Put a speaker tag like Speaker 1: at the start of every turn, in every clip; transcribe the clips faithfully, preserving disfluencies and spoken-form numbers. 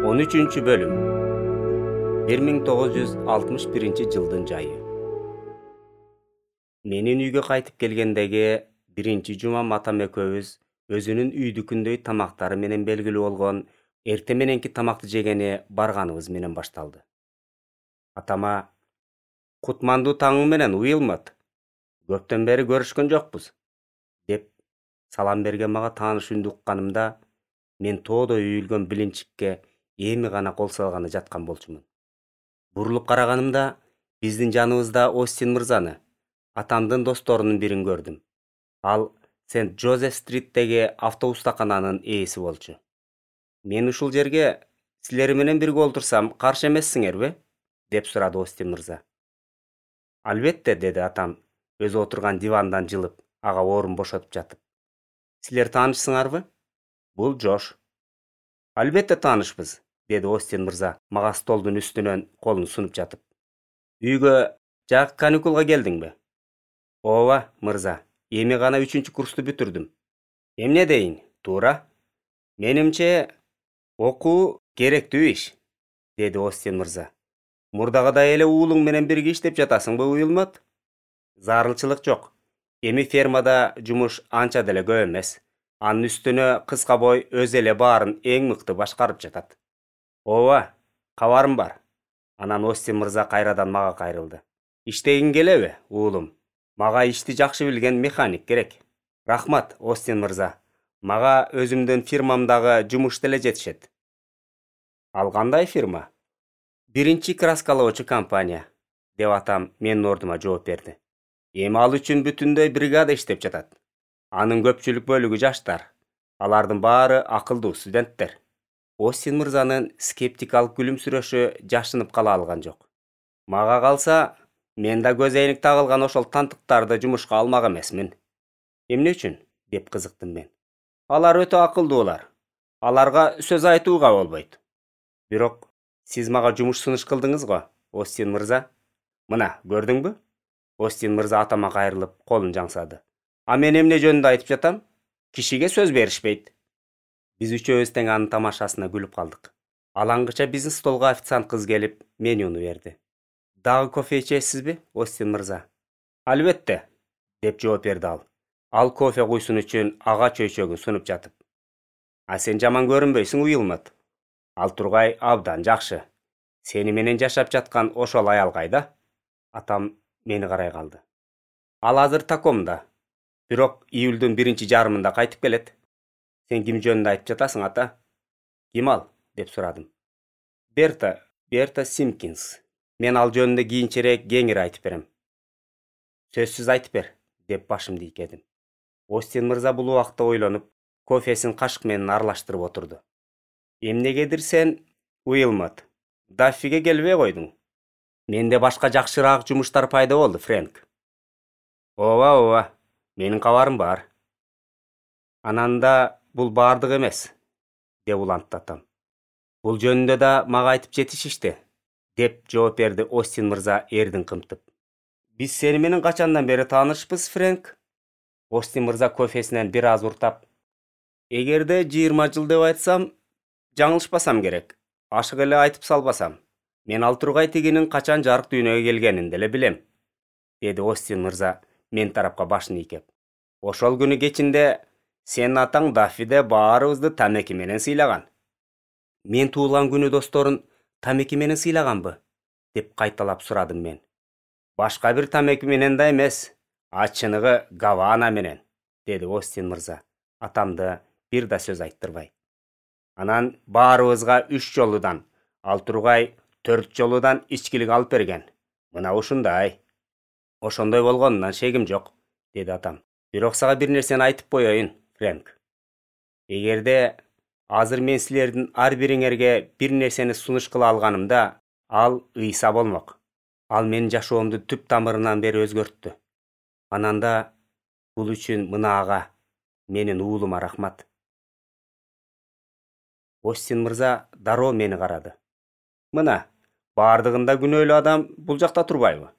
Speaker 1: он үчүнчү бөлүм. бир миң тогуз жүз алтымыш биринчи жылдын жайы. Менин үйгө кайтып келгендеги биринчи жумам атам экөөбүз өзүнүн үйдүкүндөй тамактары менен белгилүү болгон эрте мененки тамакты жегени барганыбыз менен башталды. Атама: "Кутмандуу таңың менен, Уилмот. Көптөн бери көрүшкөн жокпуз", деп салам берген мага тааныш үндү укканымда, мен тоодой үйүлгөн билинчикке эми гана кол салганы жаткан болчумун. Бурулуп караганымда биздин жаныбызда Остин мырзаны, атамдын досторунун бирин көрдүм. Ал Сент Жозеф стриттеги автобустакананын ээси болчу. "Мен ушул жерге силер менен бирге олтурсам каршы эмессиңерби?" деп сурады Остин мырза. "Албетте", деди атам, өзү отурган дивандан жылып, ага орун бошотуп жатып. "Силер таанышсыңарбы? Бул Жош." "Албетте таанышпыз", деди Остин мырза мага столдун үстүнөн колун сунуп жатып. "Үйгө жак каникулга келдиңби?" "Ооба, мырза, эми гана үчүнчү курсту бүтүрдүм." "Эмне дейин, туура? Менимче, окуу керектүү иш", деди Остин мырза. "Мурдагыдай эле уулуң менен бирге иштеп жатасыңбы, Уилмот?" "Зарылчылык жок. Эми фермада жумуш анча деле көп эмес. Анын үстүнө кыска бой өзү эле баарын эң мыкты башкарып жатат." "Ооба, кабарым бар." Анан Остин мырза кайрадан мага кайрылды. "Иштегиң келеби, уулум? Мага ишти жакшы билген механик керек." "Рахмат, Остин мырза. Мага өзүмдүн фирмамдагы жумуш деле жетишет." "Ал кандай фирма?" "Биринчи краскалоочу компания", деп атам менин ордума жооп берди. "Эми ал үчүн бүтүндөй бригада иштеп жатат. Анын көпчүлүк бөлүгү жаштар. Алардын баары акылдуу студенттер." Остин мырзанын скептикалык күлүмсүрөшү жашынып кала алган жок. "Мага калса, мен да көз эйник тагылган ошол тантыктарды жумушка алмак эмесмин." "Эмне үчүн?" деп кызыктым мен. "Алар өтө акылдуулар. Аларга сөз айтууга болбойт." "Бирок сиз мага жумуш сунуш кылдыңыз го, Остин мырза. Мына, көрдүңбү?" Остин мырза атама кайрылып, колун жаңсады. "А мен эмне жөнүндө айтып жатам? Кишиге сөз беришпейт." Биз үчөөбүз тең анын тамашасына күлүп калдык. Алаңгыча биздин столго официант кыз келип, менюну берди. "Дагы кофе ичесизби, Остин мырза?" "Албетте", деп жооп берди ал. Ал кофе куйсун үчүн ага чөйчөгүн сунуп жатып. "А сен жаман көрүнбөйсүң, Уилмот. Ал тургай абдан жакшы. Сени менен жашап жаткан ошол аял кайда?" Атам мени карай калды. "Ал азыр Такомдо. Бирок июлдун биринчи жарымында кайтып келет." "Сен ким жөнүндө айтып жатасың, ата?" "Ким ал?" деп сурадым. "Берта, Берта Симпкинс. Мен ал жөнүндө кийинчерээк кеңири айтып берем." "Сөзсүз айтып бер", деп башымды ийкедим. Остин мырза бул убакта ойлонуп, кофесин кашык менен аралаштырып отурду. "Эмнегедир сен, Уилмот, Даффиге келбей койдуң?" "Менде башка жакшыраак жумуштар пайда болду, Фрэнк." "Ооба, ооба, менин кабарым бар." "Анан да бул баардык эмес", деп улантты атам. "Бул жөнүндө да мага айтып жетишишти", деп жооп берди Остин мырза эрдин кымтып. "Биз сени менен качандан бери таанышпыз, Фрэнк?" Остин мырза кофесинен бир аз уртап. "Эгерде жыйырма жыл деп айтсам, жаңылышпасам керек. Ашык эле айтып салбасам. Мен ал тургай тигинин качан жарык дүйнөгө келгенин деле билем", деди Остин мырза мен тарапка башын ийкеп. "Ошол күнү кечинде сенин атаң Даффиде баарыбызды тамеки менен сыйлаган." "Мен туулган күнү досторун тамеки менен сыйлаганбы?" деп кайталап сурадым мен. "Башка бир тамеки менен да эмес, а чыныгы Гавана менен", деди Остин мырза, атамды бир да сөз айттырбай. "Анан баарыбызга үч жолудан, ал тургай төрт жолудан ичкилик алып берген. Мына ушундай." "Ошондой болгонунан шегим жок", деди атам. "Бирок сага бир нерсени айтып коеюн, Фрэнк. Эгерде азыр мен силердин ар бириңерге бир нерсени сунуш кыла алганымда, ал ыйса болмок. Ал менин жашоомду түп тамырынан бери өзгөрттү. Анан да бул үчүн мына ага, менин уулума рахмат." Остин мырза дароо мени карады. "Мына, баардыгында күнөөлүү адам бул жакта турбайбы?"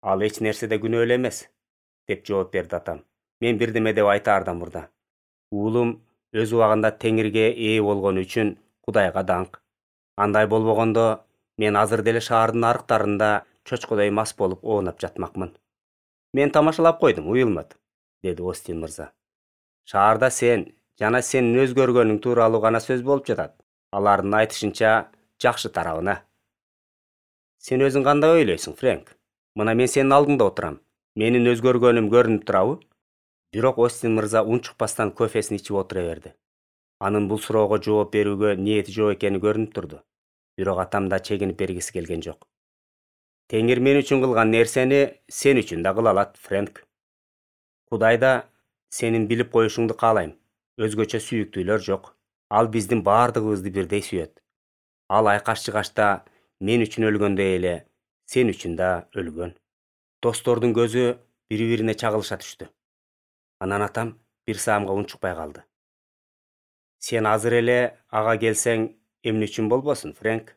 Speaker 1: "Ал эч нерседе күнөөлүү эмес", деп жооп берди атам. Мен бирдеме деп айтаардан мурда: "Уулум өз убагында теңирге ээ болгону үчүн Кудайга даңк." Андай болбогондо мен азыр деле шаардын арыктарында чочкодой мас болуп оонап жатмакмын. Мен тамашалап койдум, Уилмот, деди Остин мырза. Шаарда сен жана сенин өзгөргөнүң тууралуу гана сөз болуп жатат. Алардын айтышынча жакшы тарабына. Сен өзүң кандай ойлойсуң, Фрэнк? Мына мен сенин алдыңда отурам. Менин өзгөргөнүм көрүнүп турабы? Бирок Остин мырза унчукпастан кофесин ичип отура берди. Анын бул суроого жооп берүүгө ниети жок экени көрүнүп турду. Бирок атам да чегинип бергиси келген жок. Теңир мен үчүн кылган нерсени сен үчүн да кыла алат, Фрэнк. Кудай да сенин билип коюшуңду каалайм. Өзгөчө сүйүктүүлөр жок. Ал биздин баардыгыбызды бирдей сүйөт. Ал айкаш-чыгашта мен үчүн өлгөндөй эле сен үчүн да өлгөн. Достордун көзү бири-бирине чагылыша түштү. Анан атам бир саамга унчукпай калды. Сен азыр эле ага келсең эмне үчүн болбосун, Фрэнк?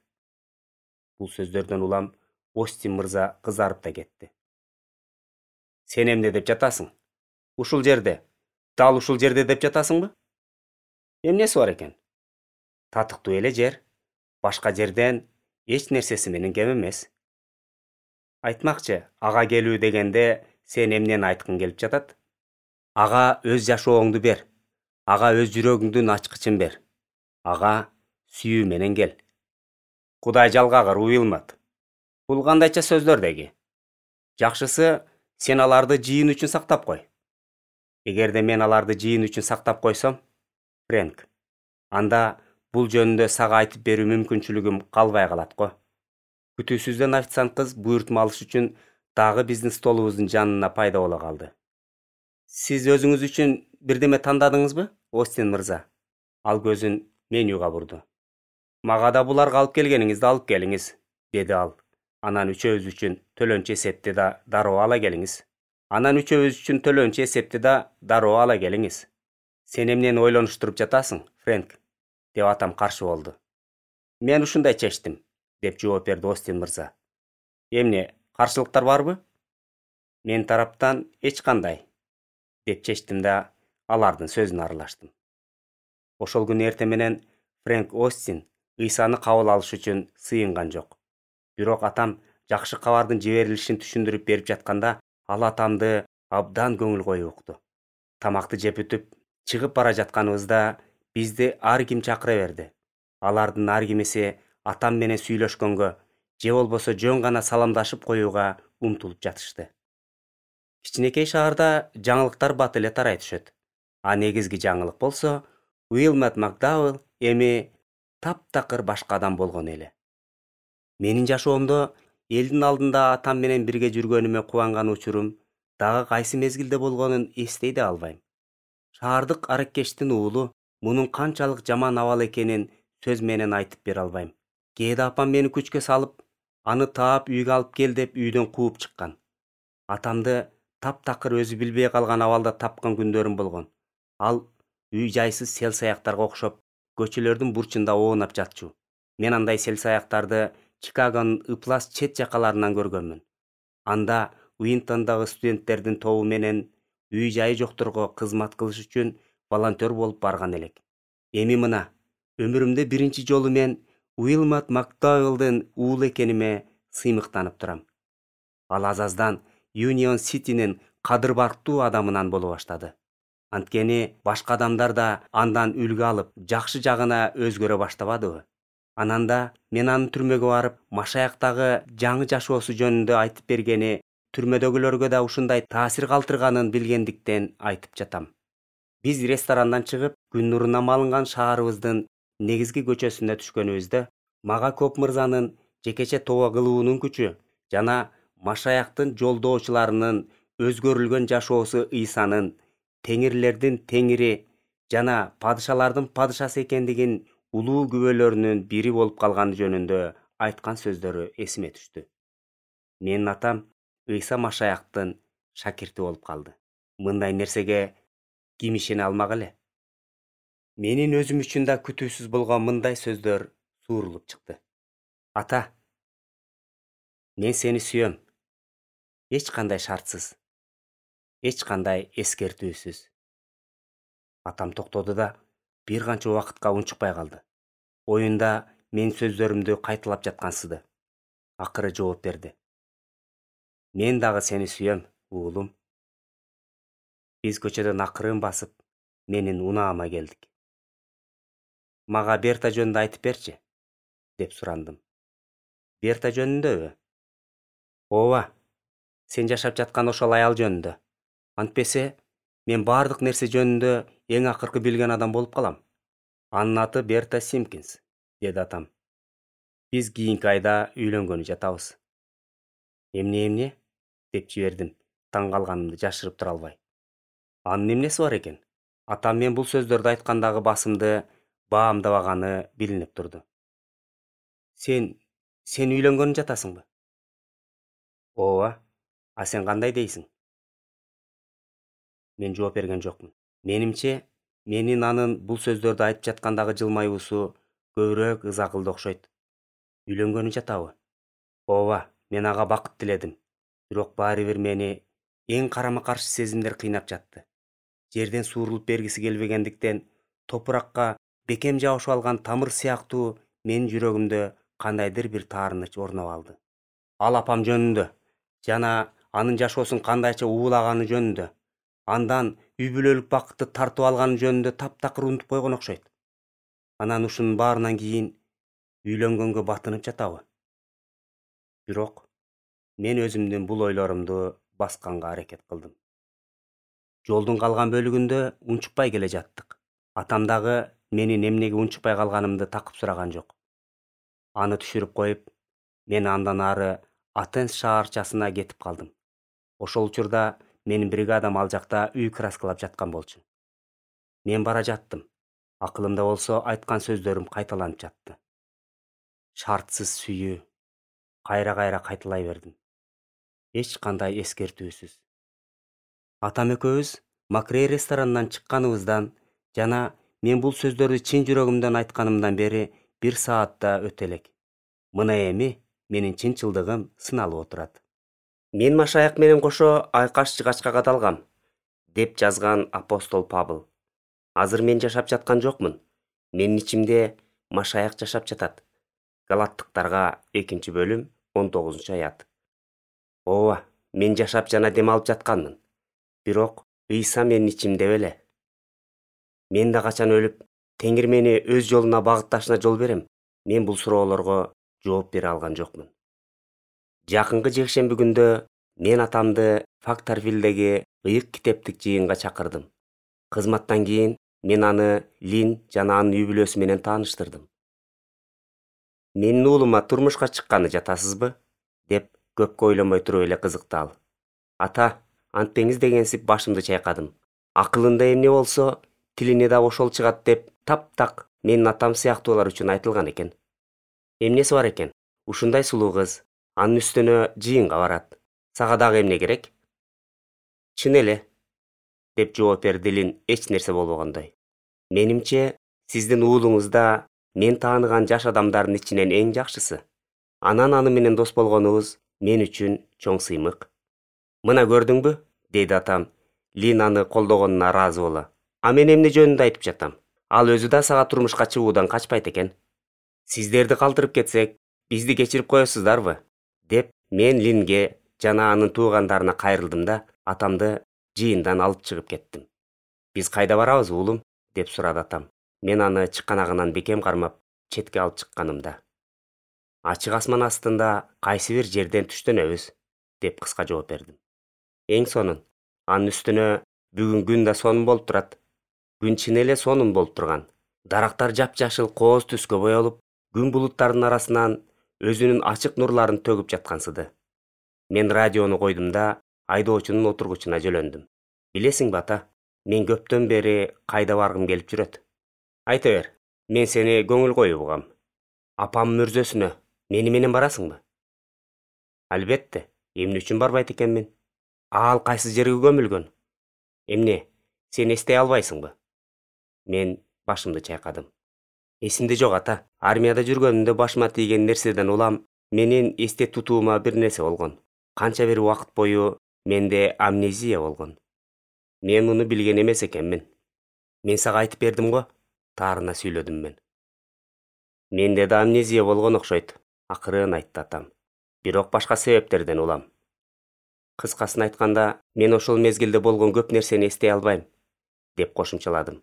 Speaker 1: Бул сөздөрдөн улам Остин мырза кызарып да кетти. Сен эмне деп жатасың? Ушул жерде, дал ушул жерде деп жатасыңбы? Эмнеси бар экен? Татыктуу эле жер. Башка жерден эч нерсеси менен кем эмес. Айтмакчы, ага келүү дегенде сен эмнени айткың келип жатат? Ага өз жашооңду бер. Ага өз жүрөгүңдүн ачкычын бер. Ага сүйүү менен кел. Кудай жалгагыр, Уилмот. Бул кандайча сөздөр деги? Жакшысы, сен аларды жыйын үчүн сактап кой. Эгерде мен аларды жыйын үчүн сактап койсом, Фрэнк, анда бул жөнүндө сага айтып берүү мүмкүнчүлүгүм калбай калат го. Күтүүсүздөн официант кыз буйртма алыш үчүн дагы биздин столубуздун жанына пайда боло калды. Сиз өзүңүз үчүн бирдеме тандадыңызбы, Остин мырза? Ал көзүн менюга бурду. Мага да буларга алып келгениңизди алып келиңиз, деди ал. Анан үчөөбүз үчүн төлөнчү эсепти да дароо ала келиңиз. Анан үчөөбүз үчүн төлөнчү эсепти да дароо ала келиңиз. Сен эмнени ойлонуштуруп жатасың, Фрэнк? Деп атам каршы болду. Мен ушундай чечтим, деп жооп берди Остин мырза. Эмне, каршылыктар барбы? Мен тараптан эч кандай, деп чечтим да алардын сөзүнө аралаштым. Ошол күнү эртең менен Фрэнк Остин ыйсаны кабыл алыш үчүн сыйынган жок. Бирок атам жакшы кабардын жиберилишин түшүндүрүп берип жатканда, ал атамды абдан көңүл коюп укту. Тамакты жеп бүтүп, чыгып бара жатканыбызда бизди ар ким чакыра берди. Алардын ар кимиси атам менен сүйлөшкөнгө, же болбосо жөн гана саламдашып коюуга умтулуп жатышты. Кичинекей шаарда жаңылыктар бат эле тарай түшөт. А негизги жаңылык болсо, Уилмот Макдауэлл эми таптакыр башка адам болгон эле. Менин жашоомдо элдин алдында атам менен бирге жүргөнүмө кубанган учурум дагы кайсы мезгилде болгонун эстей да албайм. Шаардык араккештин уулу мунун канчалык жаман абал экенин сөз менен айтып бере албайм. Кээде апам мени күчкө салып, аны таап үйгө алып кел деп үйдөн кууп чыккан. Атамды таптакыр өзү билбей калган абалда тапкан күндөрүм болгон. Ал үй жайсыз сел-саяктарга окшоп, көчөлөрдүн бурчунда оонап жатчу. Мен андай сел-саяктарды Чикагонун ыплас чет жакаларынан көргөнмүн. Анда Уинтондогу студенттердин тобу менен үй жайы жокторго кызмат кылыш үчүн волонтер болуп барган элек. Эми мына, өмүрүмдө биринчи жолу мен Уилмот Макдауэллдин уулу экениме сыймыктанып турам. Ал азаздан Юнион Ситинин кадыр барктуу адамынан боло баштады. Анткени башка адамдар да андан үлгү алып, жакшы жагына өзгөрө баштабадыбы? Анан да мен анын түрмөгө барып, Машаяктагы жаңы жашоосу жөнүндө айтып бергени түрмөдөгүлөргө да ушундай таасир калтырганын билгендиктен айтып жатам. Биз ресторандан чыгып, күн нурунан малынган шаарыбыздын негизги көчөсүнө түшкөнүбүздө, мага Коп мырзанын жекече тоба кылуунун күчү жана Машаяктын жолдоочуларынын өзгөрүлгөн жашоосу ыйсанын теңирлердин теңири жана падышалардын падышасы экендигин улуу күбөлөрүнүн бири болуп калганы жөнүндө айткан сөздөрү эсиме түштү. Менин атам Ыйса Машаяктын шакирти болуп калды. Мындай нерсеге ким ишене алмак эле? Менин өзүм үчүн да күтүүсүз болгон мындай сөздөр суурулуп чыкты. Ата, мен сени сүйөм. Эч кандай шартсыз, эч кандай эскертүүсүз. Атам токтоду да бир канча убакытка унчукпай калды. Оюнда мен сөздөрүмдү кайталап жаткансызды. Акыры жооп берди. Мен дагы сени сүйөм, уулум. Биз көчөдөн акырын басып, менин унаама келдик. Мага Берта жөнүндө айтып берчи, деп сурандым. Берта жөнүндөбү? Ооба, сен жашап жаткан ошол аял жөнүндө. Антпесе, мен бардык нерсе жөнүндө эң акыркы билген адам болуп калам. Анын аты Берта Симпкинс, деди атам. Биз кийинки айда үйлөнгөнү жатабыз. Эмне эмне? Деп жибердим, таң калганымды жашырып тура албай. Анын эмнеси бар экен? Атам мен бул сөздөрдү айткандагы басымды баамдабаганы билинип турду. Сен, сен үйлөнгөнү жатасыңбы? Ооба, а сен кандай дейсиң? Мен жооп берген жокмун. Менимче, менин анын бул сөздөрдү айтып жаткандагы жылмаюусу көбүрөөк ыз акылды окшойт. Үйлөнгөнү жатабы? Ооба, мен ага бакыт тиледим. Бирок баары бир мени эң карама-каршы сезимдер кыйнап жатты. Жерден суурулуп бергиси келбегендиктен топуракка бекем жабышып алган тамыр сыяктуу менин жүрөгүмдө кандайдыр бир таарыныч орноп алды. Ал апам жөнүндө жана анын жашоосун кандайча уулаганы жөнүндө, андан үй бүлөлүк бакытты тартып алганы жөнүндө таптакыр унутуп койгон окшойт. Анан ушунун баарынан кийин үйлөнгөнгө батынып жатабы? Бирок мен өзүмдүн бул ойлорумду басканга аракет кылдым. Жолдун калган бөлүгүндө унчукпай келе жаттык. Атам дагы менин эмнеге унчукпай калганымды такып сураган жок. Аны түшүрүп коюп, мен андан ары Атенс шаарчасына кетип калдым. Ошол учурда менин бригадам ал жакта үй краскалап жаткан болчу. Мен бара жаттым. Акылымда болсо айткан сөздөрүм кайталанып жатты. Шартсыз сүйүү. Кайра-кайра кайталай бердим. Эч кандай эскертүүсүз. Атам экөөбүз Макрей ресторанынан чыкканыбыздан жана мен бул сөздөрдү чын жүрөгүмдөн айтканымдан бери бир саатта өтө элек. Мына эми менин чынчылдыгым сыналып отурат. Мен машаяк менен кошо айкаш жыгачка кадалгам, деп жазган апостол Павыл. Азыр мен жашап жаткан жокмун. Менин ичимде машаяк жашап жатат. Галаттыктарга экинчи бөлүм он тогузунчу аят. Ооба, мен жашап жана дем алып жатканмын. Бирок Ыйса менин ичимде беле. Мен да качан өлүп, Теңир мени өз жолуна багытташына жол берем. Мен бул суроолорго жооп бере алган жокмун. Жакынкы жекшемби күндө мен атамды Фактарвиллдеги ыйык китептик жыйынга чакырдым. Кызматтан кийин мен аны Лин жана анын үй бүлөсү менен тааныштырдым. Менин уулума турмушка чыкканы жатасызбы? Деп көпкө ойлонбой туруп эле кызыкты ал. Ата, антпеңиз дегенсип башымды чайкадым. Акылында эмне болсо, тилине да ошол чыгат деп таптак менин атам сыяктуулар үчүн айтылган экен. Эмнеси бар экен? Ушундай сулуу кыз, анын үстүнө жыйынга барат. Сага дагы эмне керек? Чын эле, деп жооп берди Лин эч нерсе болбогондой. Менимче, сиздин уулуңуз да мен тааныган жаш адамдардын ичинен эң жакшысы. Анан аны менен дос болгонубуз мен үчүн чоң сыймык. Мына көрдүңбү? Деди атам. Лин аны колдогонуна ыраазы боло. А мен эмне жөнүндө айтып жатам? Ал өзү да сага турмушка чыгуудан качпайт экен. Сиздерди калтырып кетсек, бизди кечирип коесуздарбы? Деп мен Линге жана анын туугандарына кайрылдым да атамды жыйындан алып чыгып кеттим. Биз кайда барабыз, уулум? Деп сурады атам. Мен аны чыканагынан бекем кармап, четке алып чыкканымда. Ачык асман астында кайсы бир жерден түштөнөбүз, деп кыска жооп бердим. Эң сонун. Анын үстүнө бүгүн күн да сонун болуп турат. Күн чын эле сонун болуп турган. Дарактар жапжашыл кооз түскө боелуп, күн булуттардын арасынан өзүнүн ачык нурларын төгүп жаткансыды. Мен радиону койдум да айдоочунун отургучуна жөлөндүм. Билесиңби ата, мен көптөн бери кайда баргым келип жүрөт. Айта бер, мен сени көңүл коюп угам. Апам мөрзөсүнө мени менен барасыңбы? Албетте, эмне үчүн барбайт экенмин? Ал кайсы жерге көмүлгөн? Эмне, сен эстей албайсыңбы? Мен башымды чайкадым. Эсимде жок ата. Армияда жүргөнүмдө башыма тийген нерседен улам менин эсте тутуума бир нерсе болгон. Канча бир убакыт бою менде амнезия болгон. Мен муну билген эмес экенмин. Мен сага айтып бердим го, таарына сүйлөдүм мен. Менде да амнезия болгон окшойт, акырын айтты атам. Бирок башка себептерден улам. Кыскасын айтканда, мен ошол мезгилде болгон көп нерсени эстей албайм, деп кошумчаладым.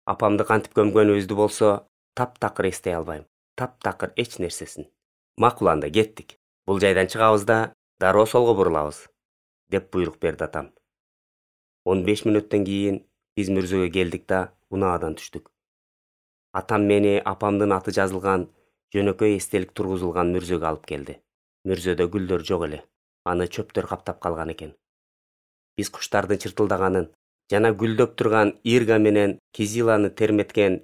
Speaker 1: Апамды кантип көмгөнүбүздү болсо, таптакыр эстей албайм. Таптакыр эч нерсесин. Макул, анда кеттик. Бул жайдан чыгабыз да дароо солго бурулабыз, деп буйрук берди атам. он беш мүнөттөн кийин биз мүрзөгө келдик да унаадан түштүк. Атам мени апамдын аты жазылган жөнөкөй эстелик тургузулган мүрзөгө алып келди. Мүрзөдө гүлдөр жок эле. Аны чөптөр каптап калган экен. Биз куштардын чыртылдаганын жана гүлдөп турган ирга менен кизиланы терметкен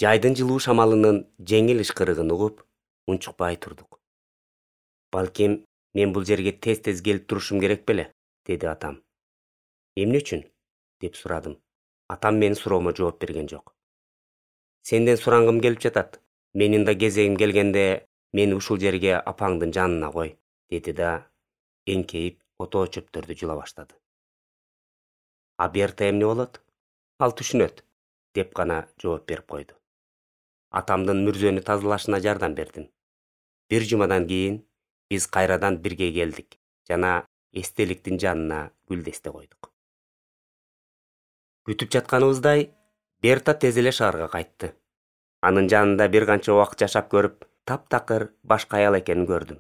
Speaker 1: жайдын жылуу шамалынын жеңил ышкырыгын угуп, унчукпай турдук. Балким, мен бул жерге тез-тез келип турушум керек беле, деди атам. Эмне үчүн? Деп сурадым. Атам менин суроомо жооп берген жок. Сенден сурангым келип жатат. Менин да кезегим келгенде мени ушул жерге апаңдын жанына кой, деди да эңкейип отоо чөптөрдү жула баштады. А Берта эмне болот? Ал түшүнөт, деп гана жооп берип койду. Атамдын мүрзөнү тазалашына жардам бердим. Бир жумадан кийин биз кайрадан бирге келдик жана эстеликтин жанына гүлдесте койдук. Күтүп жатканыбыздай, Берта тез эле шаарга кайтты. Анын жанында бир канча убакыт жашап көрүп, таптакыр башка аял экенин көрдүм.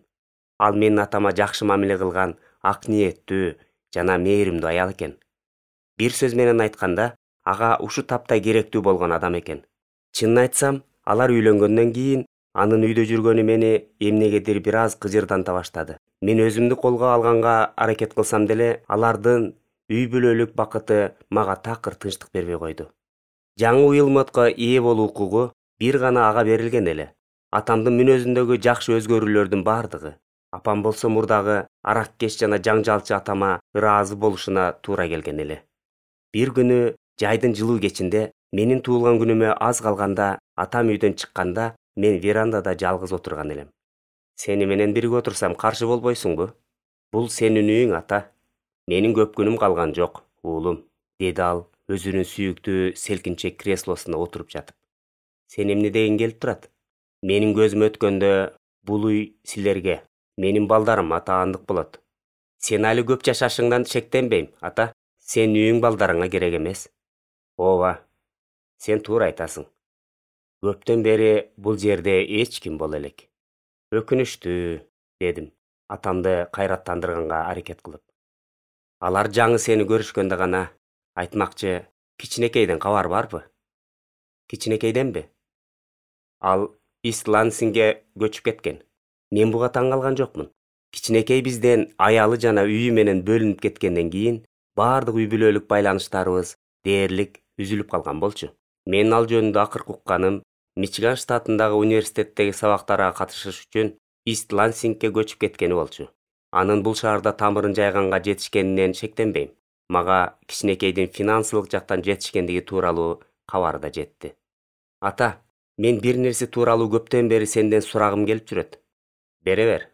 Speaker 1: Ал менин атама жакшы мамиле кылган, ак ниеттүү жана мээримдүү аял экен. Бир сөз менен айтканда, ага ушу тапта керектүү болгон адам экен. Чынын айтсам, алар үйлөнгөндөн кийин анын үйдө жүргөнү мени эмнегедир бир аз кыжырданта баштады. Мен өзүмдү колго алганга аракет кылсам деле, алардын үй бүлөлүк бакыты мага такыр тынчтык бербей койду. Жаңы уюлмотко ээ болуу укугу бир гана ага берилген эле. Атамдын мүнөзүндөгү жакшы өзгөрүүлөрдүн бардыгы. Апам болсо мурдагы араккеш жана жаңжалчы атама ыраазы болушуна туура келген эле. Бир күнү жайдын жылуу кечинде менин туулган күнүмө аз калганда атам үйдөн чыкканда мен верандада жалгыз отурган элем. Сени менен бирге отурсам каршы болбойсуңбу? Бул сенин үйүң, ата. Менин көп күнүм калган жок, уулум, деди ал өзүнүн сүйүктүү селкинчек креслосуна отуруп жатып. Сен эмне дегиң келип турат? Менин көзүм өткөндө бул үй силерге, менин балдарыма таандык болот. Сен али көп жашашыңдан шектенбейм, ата. Сен үйүң балдарыңа керек эмес. Ооба, сен туура айтасың. Көптөн бери бул жерде эч ким боло элек. Өкүнүчтүү, дедим, атамды кайраттандырганга аракет кылып. Алар жаңы сени көрүшкөндө гана, айтмакчы, кичинекейден кабар барбы? Кичинекейденби? Ал Ист-Лансингге көчүп кеткен. Мен буга таң калган жокмун. Кичинекей бизден аялы жана үйү менен бөлүнүп кеткенден кийин баардык үй бүлөлүк байланыштарыбыз дээрлик үзүлүп калган болчу. Мен ал жөнүндө акыркы укканым, Мичиган штатындагы университеттеги сабактарга катышыш үчүн Ист-Лансингге көчүп кеткени болчу. Анын бул шаарда тамырын жайганга жетишкенинен шектенбейм. Мага кичинекейдин финансылык жактан жетишкендиги тууралуу кабар да жетти. Ата, мен бир нерсе тууралуу көптөн бери сенден сурагым келип жүрөт. Бере бер.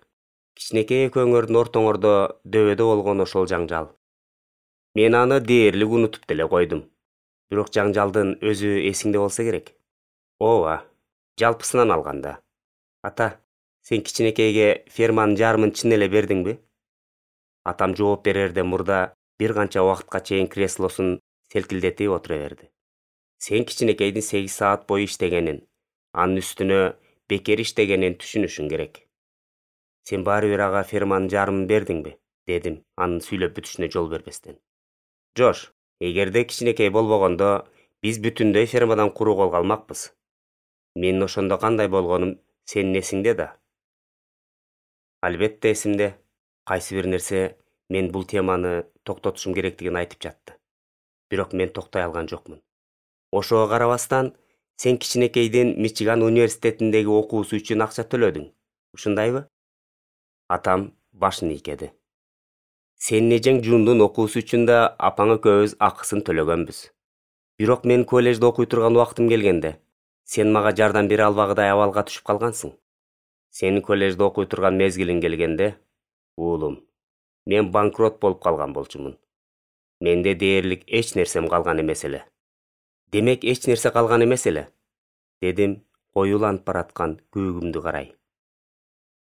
Speaker 1: Кичинекей экөөңөрдүн ортоңордо дөбөдө болгон ошол жаңжал. Мен аны дээрлик унутуп деле койдум. Бирок жаңжалдын өзү эсиңде болсо керек. Ооба, жалпысынан алганда. Ата, сен кичинекейге ферманын жарымын чын эле бердиңби? Атам жооп берерден мурда бир канча убакытка чейин креслосун селкилдетип отура берди. Сен кичинекейдин сегиз саат бою иштегенин, анын үстүнө бекер иштегенин түшүнүшүң керек. Сен баары бир ага ферманын жарымын бердиңби? Дедим, анын сүйлөп бүтүшүнө жол бербестен. Жош, эгерде кичинекей болбогондо, биз бүтүндөй фермадан куру кол калмакпыз. Менин ошондо кандай болгонум сенин эсиңде да? Албетте эсимде. Кайсы бир нерсе мен бул теманы токтотушум керектигин айтып жатты. Бирок мен токтой алган жокмун. Ошого карабастан, сен кичинекейдин Мичиган университетиндеги окуусу үчүн акча төлөдүң. Ушундайбы? Атам башын ийкеди. Сенин эжең Жундун окуусу үчүн да апаң экөөбүз акысын төлөгөнбүз. Бирок мен коллежде окуй турган убактым келгенде, сен мага жардам бере албагыдай абалга түшүп калгансың. Сенин коллежде окуй турган мезгилиң келгенде, уулум, мен банкрот болуп калган болчумун. Менде дээрлик эч нерсем калган эмес эле. Демек эч нерсе калган эмес эле, дедим коюланып бараткан көгүмдү карай.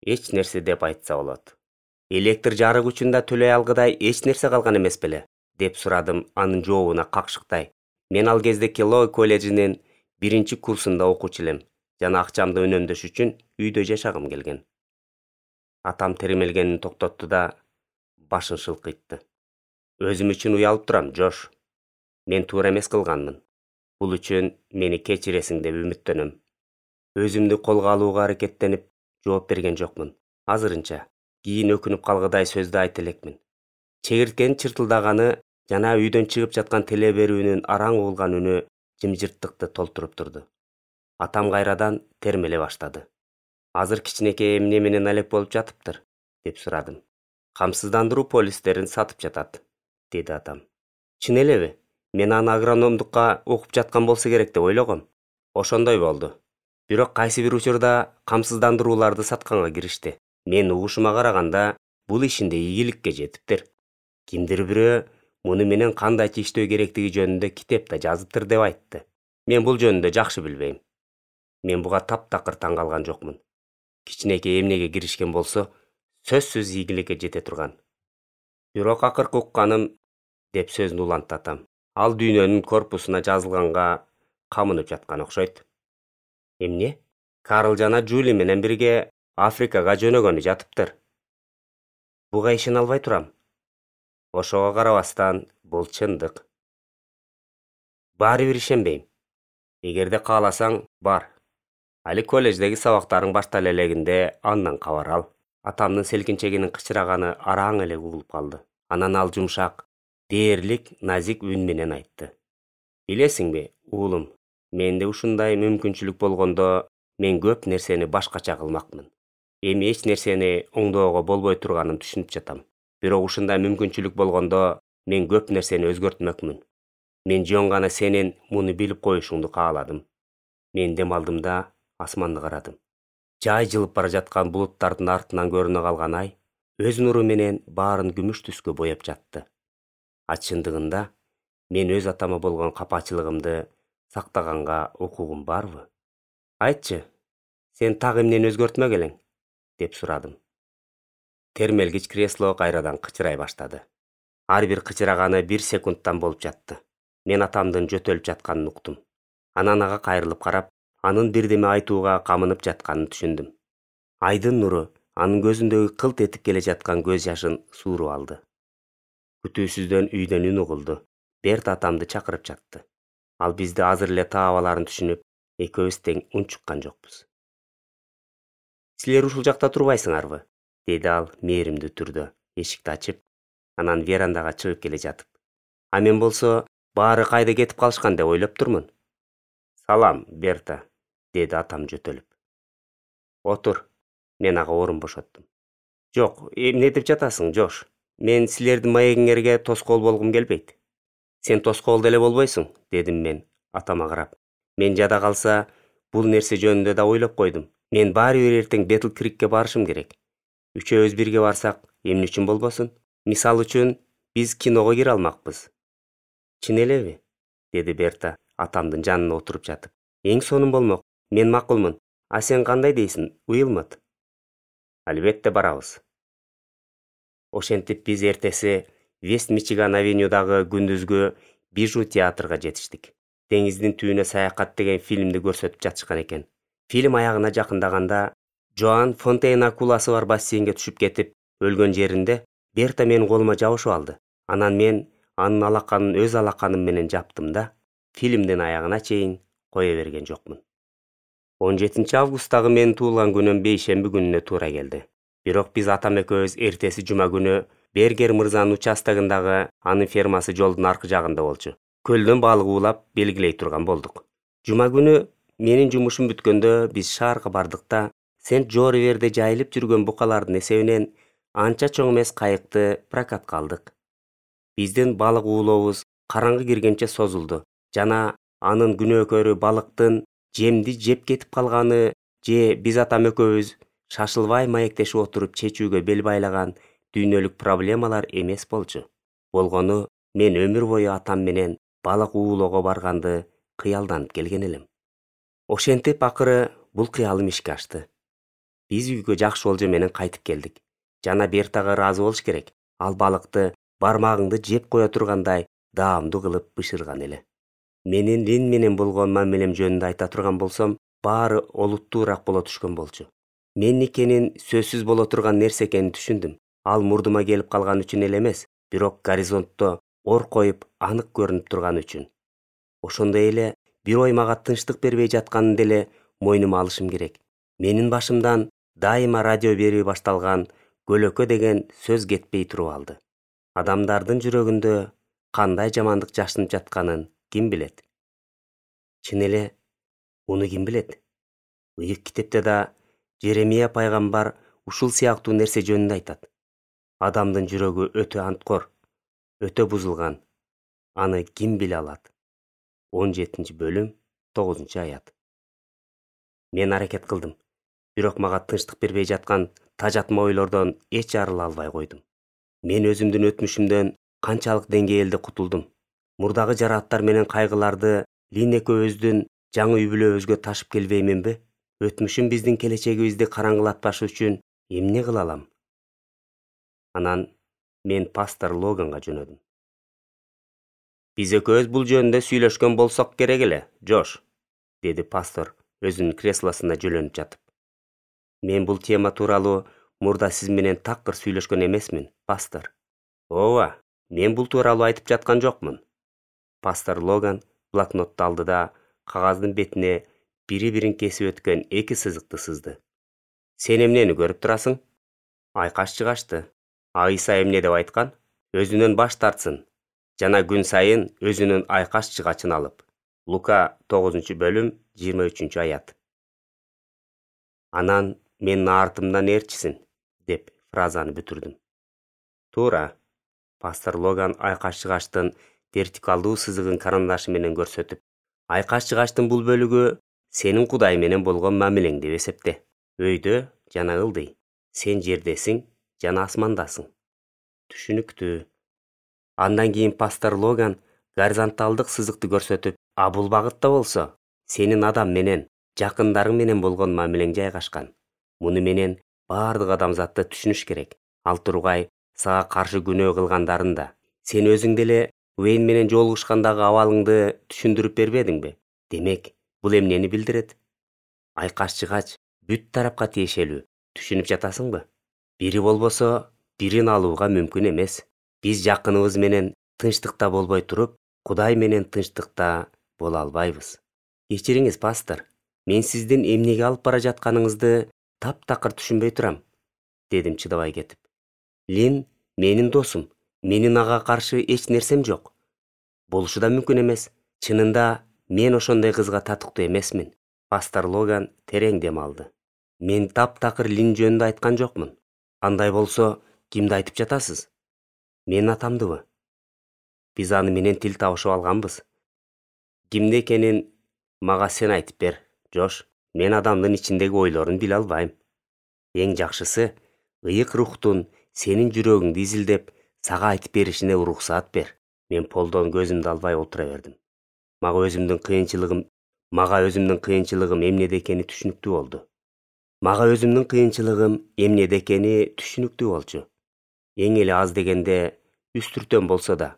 Speaker 1: Эч нерсе деп айтса болот. Электр жарык үчүн да төлөй алгыдай эч нерсе калган эмес беле? Деп сурадым анын жообуна какшыктай. Мен ал кезде Келлоу колледжинин биринчи курсунда окуучу элем жана акчамды үнөмдөш үчүн үйдө жашагым келген. Атам термелгенин токтотту да башын шылкыйтты. Өзүм үчүн уялып турам, Жош. Мен туура эмес кылганмын. Бул үчүн мени кечиресиң деп үмүттөнөм. Өзүмдү колго алууга аракеттенип жооп берген жокмун. Азырынча кийин өкүнүп калгыдай сөздү айта элекмин. Чегирткенин чыртылдаганы жана үйдөн чыгып жаткан теле берүүнүн араң угулган үнү жымжырттыкты толтуруп турду. Атам кайрадан термеле баштады. Азыр кичинекей эмне менен алек болуп жатыптыр, деп сурадым. Камсыздандыруу полистерин сатып жатат, деди атам. Чын элеби? Мен аны агрономдукка окуп жаткан болсо керек деп ойлогом. Ошондой болду. Бирок кайсы бир учурда камсыздандырууларды сатканга киришти. Мен угушума караганда бул ишинде ийгиликке жетиптир. Кимдир бирөө муну менен кандайча иштөө керектиги жөнүндө китепте жазыптыр деп айтты. Мен бул жөнүндө жакшы билбейм. Мен буга таптакыр таң калган жокмун. Кичинекей эмнеге киришкен болсо, сөзсүз ийгиликке жете турган. Бирок акыркы укканым, деп сөзүн улантты атам. Ал дүйнөнүн корпусуна жазылганга камынып жаткан окшойт. Эмне? Карл жана Жули менен бирге Африкага жөнөгөнү жатыптыр. Буга ишене албай турам. Ошого карабастан, бул чындык. Баары бир ишенбейм. Эгерде кааласаң, бар. Али колледждеги сабактарың баштала элегинде андан кабар ал. Атамдын селкинчегинин кычыраганы араң эле угулуп калды. Анан ал жумшак, дээрлик, назик үн менен айтты. Билесиңби, уулум, менде ушундай мүмкүнчүлүк болгондо мен көп нерсени башкача кылмакмын. Эми эч нерсени оңдоого болбой турганын түшүнүп жатам. Бирок ушундай мүмкүнчүлүк болгондо мен көп нерсени өзгөртмөкмүн. Мен жөн гана сенин муну билип коюшуңду кааладым. Мен дем алдым да асманды карадым. Жай жылып бара жаткан булуттардын артынан көрүнө калган ай өз нуру менен баарын күмүш түскө бояп жатты. А чындыгында мен өз атама болгон капачылыгымды сактаганга укугум барбы? Айтчы, сен так эмнени өзгөртмөк элең? Деп сурадым. Термелгич кресло кайрадан кычырай баштады. Ар бир кычыраганы бир секундтан болуп жатты. Мен атамдын жөтөлүп жатканын уктум. Анан ага кайрылып карап, анын бирдеме айтууга камынып жатканын түшүндүм. Айдын нуру анын көзүндөгү кылт этип келе жаткан көз жашын сууруп алды. Күтүүсүздөн үйдөн үн угулду. Берт атамды чакырып жатты. Ал бизди азыр эле таап аларын түшүнүп, экөөбүз тең унчуккан жокпуз. Силер ушул жакта турбайсыңарбы? Деди ал мээримдүү түрдө, эшикти ачып, анан верандага чыгып келе жатып. А мен болсо баары кайда кетип калышкан деп ойлоп турмун. Салам, Берта, деди атам жөтөлүп. Отур, мен ага орун бошоттум. Жок, эмне деп жатасың, Жош? Мен силердин маегиңерге тоскоол болгум келбейт. Сен тоскоол деле болбойсуң, дедим мен атама карап. Мен жада калса, бул нерсе жөнүндө да ойлоп койдум. Мен баары бир эртең Бетл Крикке барышым керек. Үчөөбүз бирге барсак, эмне үчүн болбосун? Мисал үчүн, биз киного кире алмакпыз. Чын элеби? Деди Берта атамдын жанына отуруп жатып. Эң сонун болмок. Мен макулмун. А сен кандай дейсиң, Уилмот? Албетте барабыз. Ошентип биз эртеси Вест Мичиган авенюдагы күндүзгү Бижу театрга жетиштик. Деңиздин түбүнө саякат деген фильмди көрсөтүп жатышкан экен. Фильм аягына жакындаганда Жоан Фонтейн акуласы бар бассейнге түшүп кетип, өлгөн жеринде Берта менин колума жабышып алды. Анан мен анын алаканын өз алаканым менен жаптым да, фильмдин аягына чейин кое берген жокмун. он жетинчи августтагы менин туулган күнүм бейшемби күнүнө туура келди. Бирок биз атам экөөбүз эртеси жума күнү Бергер мырзанын участогундагы анын фермасы жолдун аркы жагында болчу. Көлдөн балык уулап белгилей турган болдук. Жума күнү менин жумушум бүткөндө биз шаарга бардык да, Сент-Жориверде жайылып жүргөн букалардын эсебинен анча чоң эмес кайыкты прокатка алдык. Биздин балык уулообуз караңгы киргенче созулду жана анын күнөөкөрү балыктын жемди жеп кетип калганы же биз атам экөөбүз шашылбай маектешип отуруп чечүүгө бел байлаган дүйнөлүк проблемалар эмес болчу. Болгону мен өмүр бою атам менен балык уулоого барганды кыялданып келген элем. Ошентип акыры бул кыялым ишке ашты. Биз үйгө жакшы болжо менен кайтып келдик. Жана Бертага ыраазы болуш керек. Ал балыкты бармагыңды жеп кое тургандай даамдуу кылып бышырган эле. Менин Лин менен болгон мамилем жөнүндө айта турган болсом, баары олуттуураак боло түшкөн болчу. Меникенин сөзсүз боло турган нерсе экенин түшүндүм. Ал мурдума келип калган үчүн эле эмес, бирок горизонтто ор коюп анык көрүнүп турган үчүн. Ошондой эле бир ой мага тынчтык бербей жатканын деле мойнума алышым керек. Менин башымдан дайыма радио берүү башталган көлөкө деген сөз кетпей туруп алды. Адамдардын жүрөгүндө кандай жамандык жашынып жатканын ким билет? Чын эле, муну ким билет? Ыйык китепте да Жеремия пайгамбар ушул сыяктуу нерсе жөнүндө айтат. Адамдын жүрөгү өтө анткор, өтө бузулган. Аны ким биле алат? он жетинчи бөлүм, тогузунчу аят. Мен аракет кылдым, бирок мага тынчтык бербей жаткан тажатма ойлордон эч арыла албай койдум. Мен өзүмдүн өтмүшүмдөн канчалык деңгээлде кутулдум. Мурдагы жарааттар менен кайгыларды Лин экөөбүздүн жаңы үй бүлөбүзгө ташып келбейминби? Өтмүшүм биздин келечегибизди караңгылатпаш үчүн эмне кыла алам? Анан мен пастор Логанга жөнөдүм. Биз экөөбүз бул жөнүндө сүйлөшкөн болсок керек эле, Жош, деди пастор өзүнүн креслосунда жөлөнүп жатып. Мен бул тема тууралуу мурда сиз менен такыр сүйлөшкөн эмесмин, пастор. Ооба, мен бул тууралуу айтып жаткан жокмун. Пастор Логан блокнотту алды да кагаздын бетине бири-бирин кесип өткөн эки сызыкты сызды. Сен эмнени көрүп турасың? Айкаш чыгашты. Айса эмне деп айткан? Өзүнөн баш тартсын жана күн сайын өзүнүн айкаш чыгачын алып. Лука тогузунчу бөлүм, жыйырма үчүнчү аят. Анан менин артымдан ээрчисин, деп фразаны бүтүрдүм. Туура. Пастор Логан айкаш чыгаштын вертикалдуу сызыгын карандашы менен көрсөтүп, айкаш чыгаштын бул бөлүгү сенин Кудай менен болгон мамилең деп эсепте. Өйдө жана ылдый. Сен жердесиң жана асмандасың. Түшүнүктүү. Андан кийин пастор Логан горизонталдык сызыкты көрсөтүп, а бул багытта болсо сенин адам менен, жакындарың менен болгон мамилең жайгашкан. Муну менен баардык адамзатты түшүнүш керек. Ал тургай сага каршы күнөө кылгандарын да. Сен өзүң деле Уэйн менен жолугушкандагы абалыңды түшүндүрүп бербедиңби? Демек, бул эмнени билдирет? Айкаш чыгач бүт тарапка тиешелүү. Түшүнүп жатасыңбы? Бири болбосо, бирин алууга мүмкүн эмес. Биз жакыныбыз менен тынчтыкта болбой туруп, Кудай менен тынчтыкта боло албайбыз. Кечириңиз, пастор. Мен сиздин эмнеге алып бара жатканыңызды таптакыр түшүнбөй турам, дедим чыдабай кетип. Лин менин досум. Менин ага каршы эч нерсем жок. Болушу да мүмкүн эмес. Чынында мен ошондой кызга татыктуу эмесмин. Пастор Логан терең дем алды. Мен таптакыр Лин жөнүндө айткан жокмун. Андай болсо, кимди айтып жатасыз? Менин атамдыбы? Биз аны менен тил табышып алганбыз. Кимде экенин мага сен айтып бер, Жош. Мен адамдын ичиндеги ойлорун биле албайм. Эң жакшысы, ыйык рухтун сенин жүрөгүңдү изилдеп, сага айтып беришине уруксаат бер. Мен полдон көзүмдү албай отура бердим. Мага өзүмдүн кыйынчылыгым, мага өзүмдүн кыйынчылыгым эмнеде экени түшүнүктүү болду. Мага өзүмдүн кыйынчылыгым эмнеде экени түшүнүктүү болчу. Эң эле аз дегенде үстүртөн болсо да.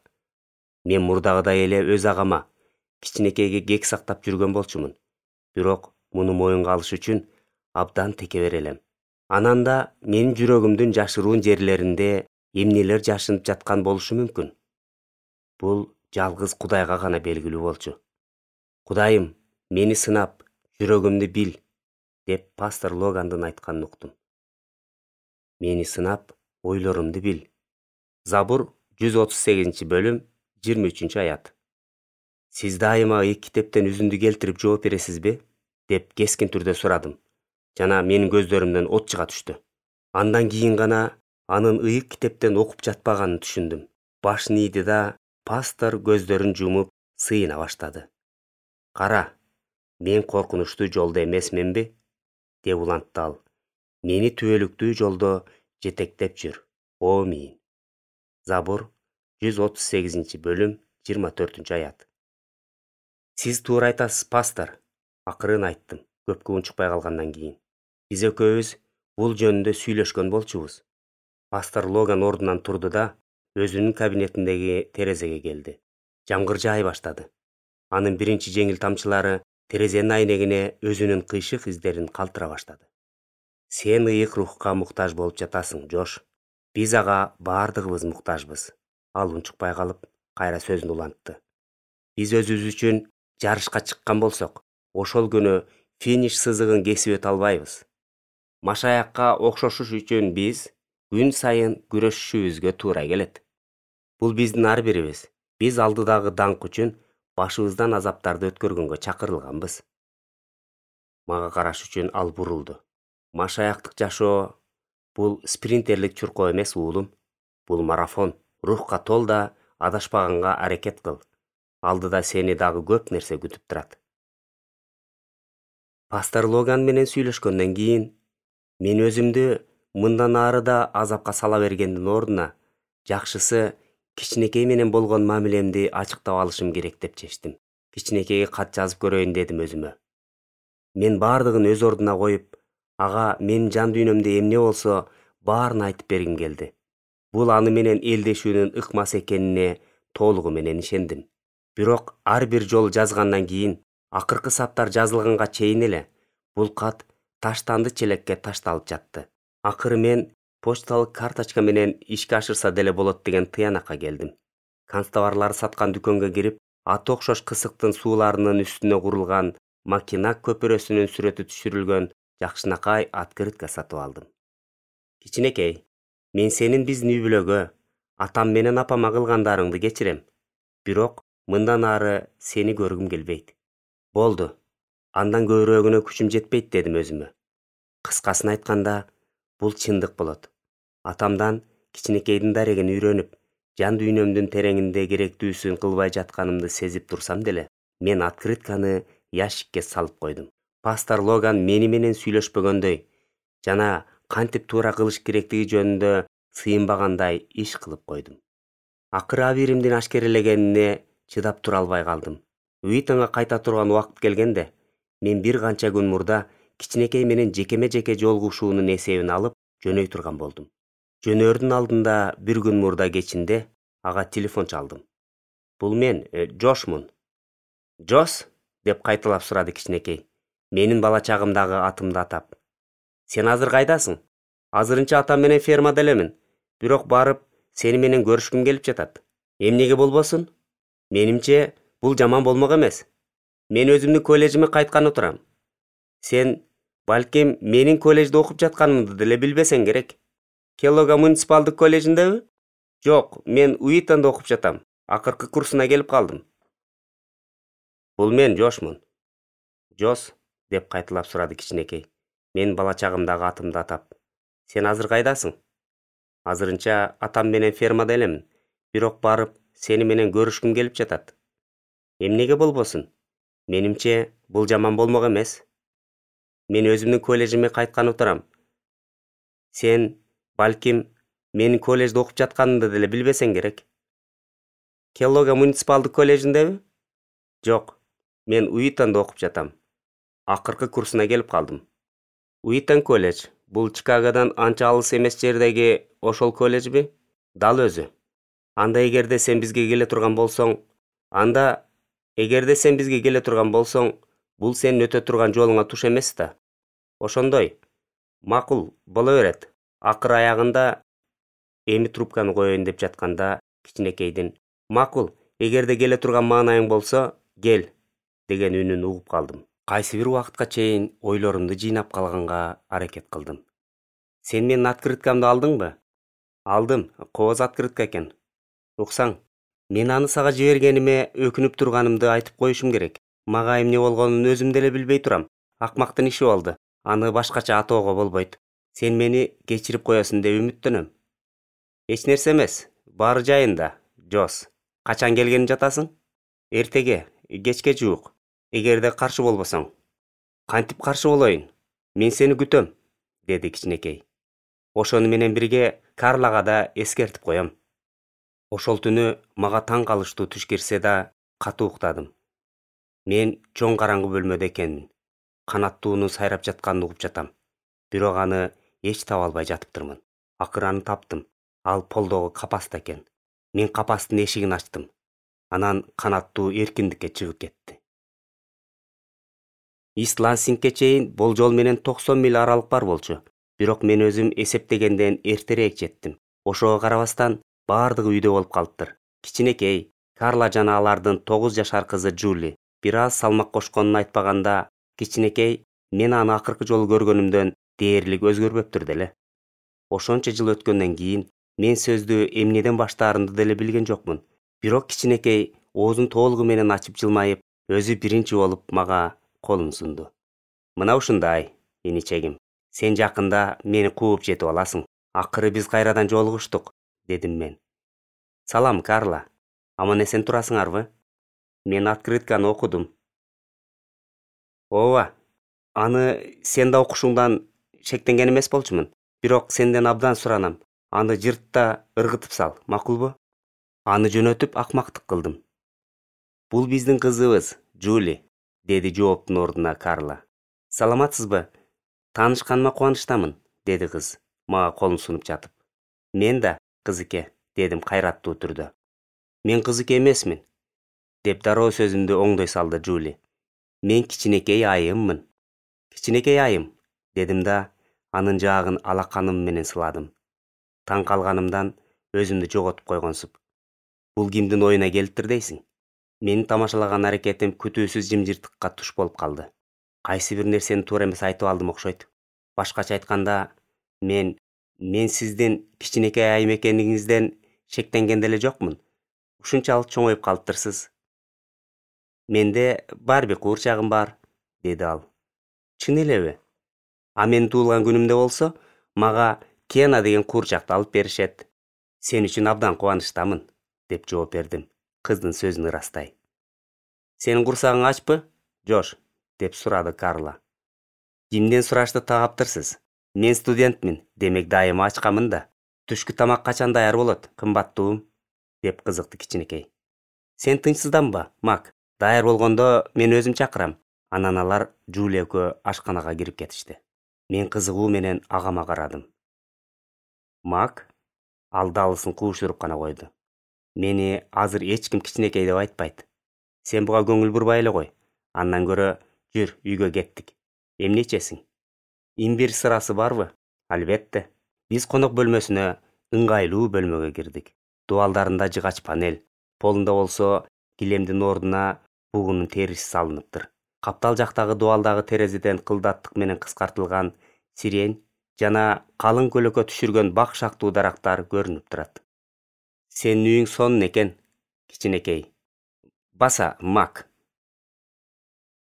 Speaker 1: Мен мурдагыдай эле өз агама, кичинекейге кек сактап жүргөн болчумун. Бирок муну моюнга алыш үчүн абдан текебер элем. Анан да менин жүрөгүмдүн жашыруун жерлеринде эмнелер жашынып жаткан болушу мүмкүн. Бул жалгыз Кудайга гана белгилүү болчу. Кудайым, мени сынап, жүрөгүмдү бил, деп пастор Логандын айтканын уктум. Мени сынап, ойлорумду бил. Забур жүз отуз сегизинчи бөлүм, жыйырма үчүнчү аят. Сиз дайыма ыйык китептен үзүндү келтирип жооп бересизби? Деп кескин түрдө сурадым. Жана менин көздөрүмдөн от чыга түштү. Андан кийин гана анын ыйык китептен окуп жатпаганын түшүндүм. Башын ийди да, пастор көздөрүн жумуп сыйына баштады. Кара, мен коркунучтуу жолдо эмесминби? Деп улантты ал. Мени түбөлүктүү жолдо жетектеп жүр. Омин. Забур жүз отуз сегизинчи бөлүм, жыйырма төртүнчү аят. Сиз туура айтасыз, пастор. Акырын айттым, көпкө унчукпай калгандан кийин. Биз экөөбүз бул жөнүндө сүйлөшкөн болчубуз. Пастор Логан ордунан турду да, өзүнүн кабинетиндеги терезеге келди. Жамгыр жаай баштады. Анын биринчи жеңил тамчылары терезенин айнегине өзүнүн кыйшык издерин калтыра баштады. Сен ыйык рухка муктаж болуп жатасың, Жош. Биз ага баардыгыбыз муктажбыз. Ал унчукпай калып, кайра сөзүн улантты. Биз өзүбүз үчүн жарышка чыккан болсок, ошол күнү финиш сызыгын кесип өтө албайбыз. Машаякка окшошуш үчүн биз күн сайын күрөшүшүбүзгө туура келет. Бул биздин ар бирибиз. Биз алдыдагы даңк үчүн башыбыздан азаптарды өткөргөнгө чакырылганбыз. Мага караш үчүн ал бурулду. Машаяктык жашоо бул спринтерлик чуркоо эмес, уулум. Бул марафон. Рухка тол да адашпаганга аракет кыл. Алдыда сени дагы көп нерсе күтүп турат. Пастор Логан менен сүйлөшкөндөн кийин мен өзүмдү мындан ары да азапка сала бергендин ордуна жакшысы кичинекей менен болгон мамилемди ачыктап алышым керек деп чечтим. Кичинекейге кат жазып көрөйүн дедим өзүмө. Мен баардыгын өз ордуна коюп, ага менин жан дүйнөмдө эмне болсо баарын айтып бергим келди. Бул аны менен элдешүүнүн ыкмас экенине толугу менен ишендим. Бирок ар бир жолу жазгандан кийин, акыркы саптар жазылганга чейин эле бул кат таштанды челекке ташталып жатты. Акыры мен почталык карточка менен ишке ашырса деле болот деген тыянакка келдим. Канцтоварлар саткан дүкөнгө кирип, аты окшош кысыктын сууларынын үстүнө курулган Макинак көпүрөсүнүн сүрөтү түшүрүлгөн жакшынакай открытка сатып алдым. Кичинекей, мен сенин биздин үй-бүлөгө, атам менен апама кылгандарыңды кечирем. Бирок мындан ары сени көргүм келбейт. Болду. Андан көбүрөгүнө күчүм жетпейт дедим өзүмө. Кыскасын айтканда, бул чындык болот. Атамдан кичинекейдин дарегин үйрөнүп, жан дүйнөмдүн тереңинде керектүүсүн кылбай жатканымды сезип турсам деле, мен открытканы ящикке салып койдум. Пастор Логан мени менен сүйлөшпөгөндөй жана кантип туура кылыш керектиги жөнүндө сыйынбагандай иш кылып койдум. Акыры абийиримдин ашкерелегенине чыдап тура албай калдым. Уитонго кайта турган убакыт келгенде, мен бир канча күн мурда кичинекей менен жекеме-жеке жолугушуунун эсебин алып, жөнөй турган болдум. Жөнөөрдүн алдында бир күн мурда кечинде ага телефон чалдым. Бул мен, Жошмун. Жос? Деп кайталап сурады кичинекей. Менин бала чагымдагы атымды атап. Сен азыр кайдасың? Азырынча атам менен фермада элемин. Бирок барып, сени менен көрүшкүм келип жатат. Эмнеге болбосун? Менимче, бул жаман болмок эмес. Мен өзүмдүн коллежиме кайтканы турам. Сен, балким, менин коллежде окуп жатканымды деле билбесең керек. Келлога муниципалдык коллежиндеби? Жок, мен Уитондо окуп жатам. Акыркы курсуна келип калдым. Бул мен, Жошмун. Жос? Деп кайталап сурады кичинекей. Мен бала чагымдагы атымды атап. Сен азыр кайдасың? Азырынча атам менен фермада элемин. Бирок барып, сени менен көрүшкүм келип жатат. Эмнеге болбосун? Менимче, бул жаман болмок эмес. Мен өзүмдүн коллежиме кайтканы турам. Сен, балким, менин коллежде окуп жатканымды деле билбесең керек. Келлога муниципалдык коллежиндеби? Жок, мен Уитондо окуп жатам. Акыркы курсуна келип калдым. Уитон колледж, бул Чикагодон анча алыс эмес жердеги ошол колледжби? Дал өзү. Анда эгерде сен бизге келе турган болсоң, анда эгерде сен бизге келе турган болсоң, бул сенин өтө турган жолуңа туш эмес да. Ошондой. Макул, боло берет. Акыр аягында эми трубканы коеюн деп жатканда кичинекейдин "Макул, эгерде келе турган маанайың болсо, кел" деген үнүн угуп калдым. Кайсы бир убакытка чейин ойлорумду жыйнап калганга аракет кылдым. Сен менин открыткамды алдыңбы? Алдым, кооз открытка экен. Уксаң, мен аны сага жибергениме өкүнүп турганымды айтып коюшум керек. Мага эмне болгонун өзүм деле билбей турам. Акмактын иши болду. Аны башкача атоого болбойт. Сен мени кечирип коесуң деп үмүттөнөм. Эч нерсе эмес, баары жайында. Жос, качан келгени жатасың? Эртеге, кечке жуук. Эгерде каршы болбосоң. Кантип каршы болоюн? Мен сени күтөм, деди кичинекей. Ошону менен бирге Карлага да эскертип коем. Ошол түнү мага таң калыштуу түш кирсе да, катуу уктадым. Мен чоң караңгы бөлмөдө экенмин. канаттуунун сайрап жатканын угуп жатам. Бирок аны эч таба албай жатыптырмын. Акыры аны таптым. Ал полдогу капаста экен. Мен капастын эшигин ачтым. Анан канаттуу эркиндикке чыгып кетти. Ист Лансингке чейин болжол менен токсон миль аралык бар болчу. Бирок мен өзүм эсептегенден эртерээк жеттим. Ошого карабастан бардыгы үйдө болуп калыптыр. Кичинекей Карла жана алардын тогуз жашар кызы Жули. Бир аз салмак кошконун айтпаганда, кичинекей мен аны акыркы жолу көргөнүмдөн дээрлик өзгөрбөптүр деле. Ошончо жыл өткөндөн кийин мен сөздү эмнеден баштаарымды деле билген жокмун. Бирок кичинекей оозун толугу менен ачып жылмайып, өзү биринчи болуп мага колун сунду. Мына ушундай, иничегим. Сен жакында мени кууп жетип аласың. Акыры биз кайрадан жолугуштук, дедим мен. Салам, Карла. Аман эсен турасыңарбы? Мен открытканы окудум. Ооба. Аны сен да окушуңдан шектенген эмес болчумун. Бирок сенден абдан суранам. Аны жыртта ыргытып сал, макулбу? Аны жөнөтүп акмактык кылдым. Бул биздин кызыбыз, Жули, деди жооптун ордуна Карла. Саламатсызбы? Таанышканыма кубанычтамын, деди кыз, мага колун сунуп жатып. Мен да, кызыке, дедим кайраттуу түрдө. Мен кызыке эмесмин, деп дароо сөзүмдү оңдой салды Жули. Мен кичинекей айыммын. Кичинекей айым, дедим да, анын жаагын алаканым менен сыладым. Таң калганымдан өзүмдү жоготуп койгонсуп. Бул кимдин оюна келиптир дейсиң? Менин тамашалаган аракетим күтүүсүз жымжырттыкка туш болуп калды. Кайсы бир нерсени туура эмес айтып алдым окшойт. Башкача айтканда, мен мен сиздин кичинекей айым экениңизден шектенген деле жокмун. Ушунчалык чоңоюп калыптырсыз. Менде барби куурчагым бар, деди ал. Чын элеби? А мен туулган күнүмдө болсо, мага Кена деген куурчакты алып беришет. Сен үчүн абдан кубанычтамын, деп жооп бердим, кыздын сөзүн ырастай. Сенин курсагың ачпы, Жош? Деп сурады Карла. Кимден сурашты тагаптырсыз? Мен студентмин, демек дайыма ачкамын да. Түшкү тамак качан даяр болот, кымбаттуум? Деп кызыкты кичинекей. Сен тынчсызданба, Мак. Даяр болгондо мен өзүм чакырам. Анан алар Жули экөө ашканага кирип кетишти. Мен кызыгуу менен агама карадым. Мак? Ал далысын куушуруп гана койду. Мени азыр эч ким кичинекей деп айтпайт. Сен буга көңүл бурбай эле кой. Андан көрө жүр, үйгө кеттик. Эмне ичесиң? Имбир сырасы барбы? Албетте. Биз конок бөлмөсүнө, ыңгайлуу бөлмөгө кирдик. Дубалдарында жыгач панель, полунда болсо килемдин ордуна бугунун териси салыныптыр. Каптал жактагы дубалдагы терезеден кылдаттык менен кыскартылган сирень жана калың көлөкө түшүргөн бак шактуу дарактар көрүнүп турат. Сенин үйүң сонун экен, кичинекей. Баса, Мак.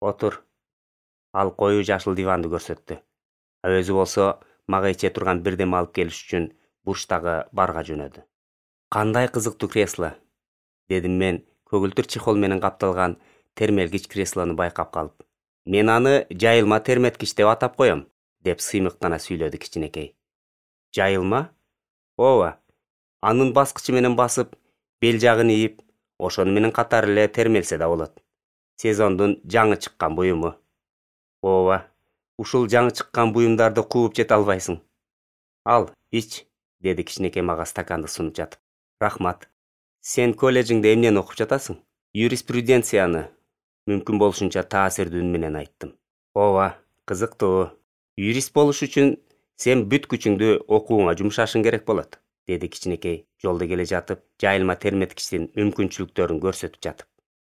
Speaker 1: Отур. Ал коюу жашыл диванды көрсөттү. А өзү болсо мага иче турган бирдеме алып келиш үчүн бурчтагы барга жөнөдү. Кандай кызыктуу кресло, дедим мен көгүлтүр чехол менен капталган термелгич креслону байкап калып. Мен аны жайылма терметкич деп атап коем, деп сыймыктана сүйлөдү кичинекей. Жайылма? Ооба. Анын баскычы менен басып, бел жагын ийип, ошону менен катар эле термелсе да болот. Сезондун жаңы чыккан буюму. Ооба. Ушул жаңы чыккан буюмдарды кууп жете албайсың. Ал, ич, деди кичинекей мага стаканды сунуп жатып. Рахмат. Сен колледжиңде эмнени окуп жатасың? Юриспруденцияны, мүмкүн болушунча таасирдүү үн менен айттым. Ооба, кызыктуу. Юрист болуш үчүн сен бүт күчүңдү окууңа жумшашың керек болот, деди кичинекей жолдо келе жатып, жайылма терметкичтин мүмкүнчүлүктөрүн көрсөтүп жатып.